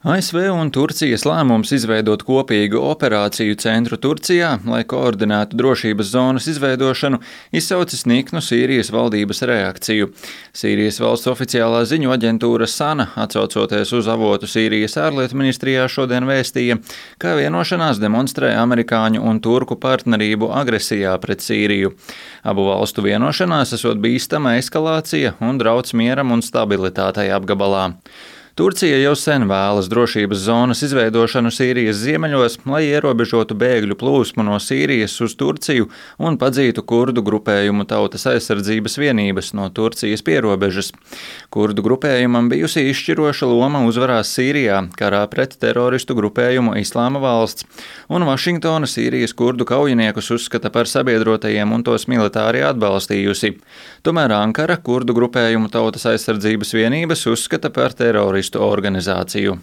ASV un Turcijas lēmums izveidot kopīgu operāciju centru Turcijā, lai koordinētu drošības zonas izveidošanu, izsaucis niknu Sīrijas valdības reakciju. Sīrijas valsts oficiālā ziņu aģentūra SANA, atsaucoties uz avotu Sīrijas ārlietu ministrijā, šodien vēstīja, ka vienošanās demonstrē amerikāņu un turku partnerību agresijā pret Sīriju. Abu valstu vienošanās esot bīstama eskalācija un drauds mieram un stabilitātei apgabalā. Turcija jau sen vēlas drošības zonas izveidošanu Sīrijas ziemeļos, lai ierobežotu bēgļu plūsmu no Sīrijas uz Turciju un padzītu kurdu grupējumu Tautas aizsardzības vienības no Turcijas pierobežas. Kurdu grupējumam bijusi izšķiroša loma uzvarās Sīrijā, karā pret teroristu grupējumu Islāma valsts, un Vašingtona Sīrijas kurdu kaujiniekus uzskata par sabiedrotajiem un tos militāri atbalstījusi. Tomēr Ankara kurdu grupējumu Tautas aizsardzības vienības uzskata par teroristu organizāciju.